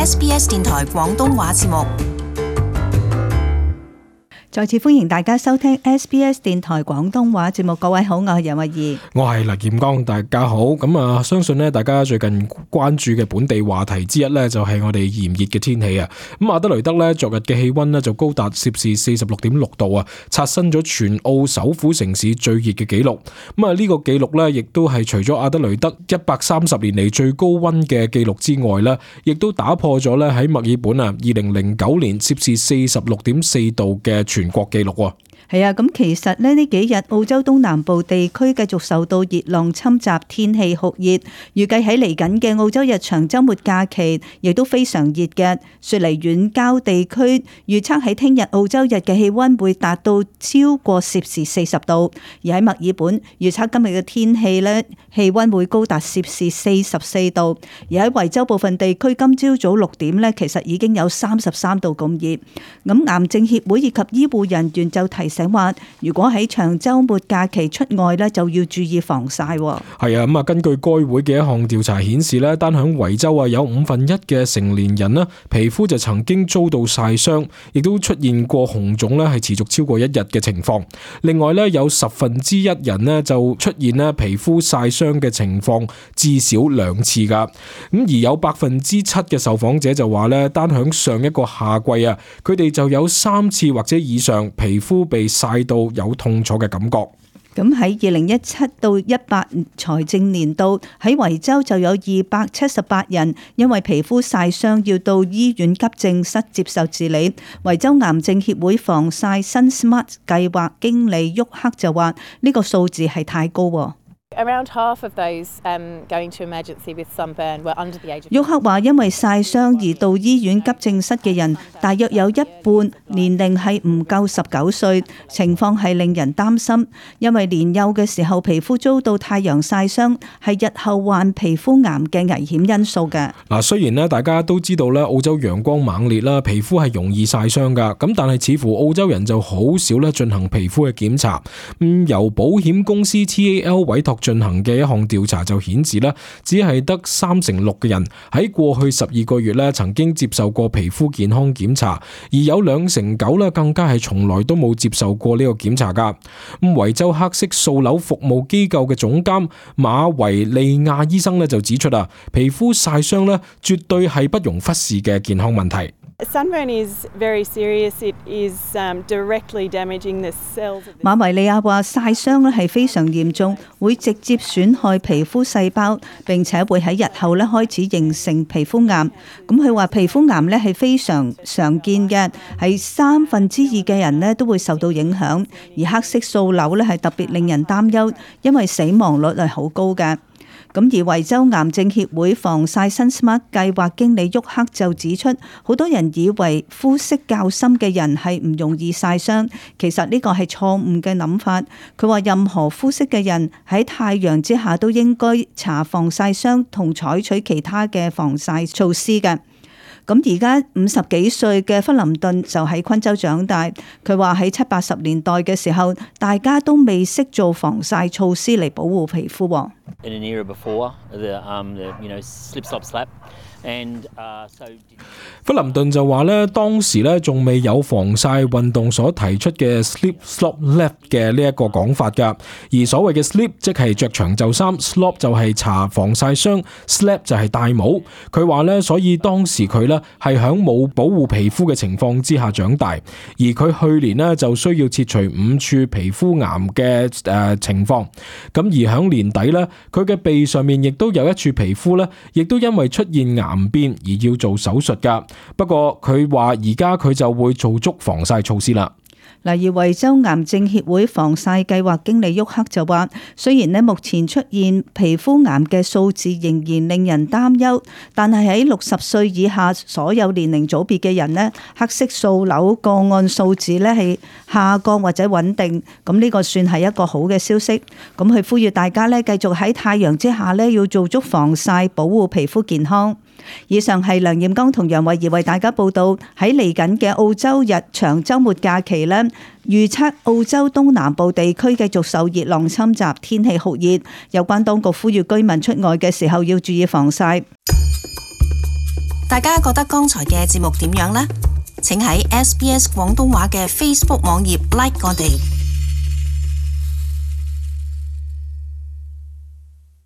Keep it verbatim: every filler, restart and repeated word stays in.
S B S 電台廣東話節目。再次歡迎大家收聽 S B S 電台廣東話節目。各位好，我係楊慧儀，我係黎劍剛，大家好。咁啊，相信咧大家最近關注嘅本地話題之一咧，就係我哋炎熱嘅天氣啊。咁阿德雷德咧，昨日嘅氣溫咧就高達攝氏四十六點六度啊，刷新咗全澳首府城市最熱嘅紀錄。咁啊，呢個紀錄咧，亦都係除咗阿德雷德一百三十年嚟最高溫嘅紀錄之外咧，亦都打破咗咧喺墨爾本啊二零零九年攝氏四十六點四度嘅全國紀錄喎。係啊，咁其實咧呢幾日澳洲東南部地區繼續受到熱浪侵襲，天氣酷熱，預計喺嚟緊嘅澳洲日長週末假期亦都非常熱嘅。雪梨遠郊地區預測喺聽日澳洲日嘅氣溫會達到超過攝氏四十度，而喺墨爾本預測今日嘅天氣咧氣溫會高達攝氏四十四度，而喺維州部分地區今朝早六點咧其實已經有三十三度咁熱。咁癌症協會以及醫護人員就提醒話，如果喺長週末假期出外咧，就要注意防曬。係啊，咁啊，根據該會嘅一項調查顯示咧，單響維州啊，有五分一嘅成年人咧，皮膚就曾經遭到曬傷，亦都出現過紅腫咧，係持續超過一日嘅情況。另外咧，有十分之一人咧就出現咧皮膚曬傷嘅情況至少兩次噶。咁而有百分之七嘅受訪者就話咧，單響上一個夏季啊，佢哋就有三次或者以上皮膚被曬到有痛楚嘅感覺。咁喺二零一七到一八財政年度喺維州就有二百七十八人因為皮膚曬傷要到醫院急症室接受治理。維州癌症協會防曬新 Smart 計劃經理沃克就話呢個數字係太高喎。Around half of those um, going to emergency with sunburn were under the age of。沃克話，因為曬傷而到醫院急症室嘅人，大約有一半年齡係唔夠十九歲，情況係令人擔心。因為年幼嘅時候皮膚遭到太陽曬傷，係日後患皮膚癌嘅危險因素嘅。嗱，雖然咧大家都知道咧澳洲陽光猛烈啦，皮膚係容易曬傷噶，咁但係似乎澳洲人就好少咧進行皮膚嘅檢查。咁由保險公司 T A L 委託進行嘅一項調查就顯示咧，只係得三成六嘅人喺過去十二個月咧曾經接受過皮膚健康檢查，而有兩成九咧更加係從來都冇接受過呢個檢查噶。咁維州黑色素瘤服務機構嘅總監馬維利亞醫生咧就指出啊，皮膚曬傷咧絕對係不容忽視嘅健康問題。Sunburn is very serious. It is um, directly damaging the cells. 馬維利亞話曬傷咧係非常嚴重，會直接損害皮膚細胞，並且會喺日後咧開始形成皮膚癌。咁佢話皮膚癌咧係非常常見嘅，係三分之二嘅人咧都會受到影響。而黑色素瘤咧係特別令人擔憂，因為死亡率係好高嘅。咁而維州癌症協會防曬新 Smart 計劃經理沃克就指出，好多人以為膚色較深嘅人係唔容易曬傷，其實呢個係錯誤嘅諗法。佢話任何膚色嘅人喺太陽之下都應該搽防曬霜同採取其他嘅防曬措施嘅。咁而家五十幾歲嘅弗林頓就喺昆州長大，佢話喺七八十年代嘅時候，大家都未識做防曬措施嚟保護皮膚。In an era before the, um, the, you know, slip, slop, slap. And, uh, so... 弗林頓就話咧，當時咧仲未有防曬運動所提出嘅 slip slop slap 嘅呢一個講法噶，而所謂嘅 slip 即係着長袖衫 ，slop 就係搽防曬霜 ，slap 就係戴帽。佢話咧，所以當時佢咧係響冇保護皮膚嘅情況之下長大，而佢去年呢就需要切除五處皮膚癌嘅誒、呃、情況。咁而響年底咧，佢嘅鼻上面亦都有一處皮膚咧，亦都因為出現癌變而要做手術噶，不過佢話而家佢就會做足防曬措施啦。嗱，而維州癌症協會防曬計劃經理沃克就話，雖然咧目前出現皮膚癌嘅數字仍然令人擔憂，但係喺六十歲以下所有年齡組別嘅人咧，黑色素瘤個案數字咧係下降或者穩定，咁呢個算係一個好嘅消息。咁佢呼籲大家咧繼續喺太陽之下咧要做足防曬，保護皮膚健康。以上係梁艷剛同楊慧儀為大家報道。喺嚟緊嘅澳洲日長週末假期呢，預測澳洲東南部地區繼續受熱浪侵襲，天氣酷熱，有關當局呼籲居民出外嘅時候要注意防曬。大家覺得剛才嘅節目點樣呢？請喺 S B S 廣東話嘅 Facebook 網頁 like 我哋。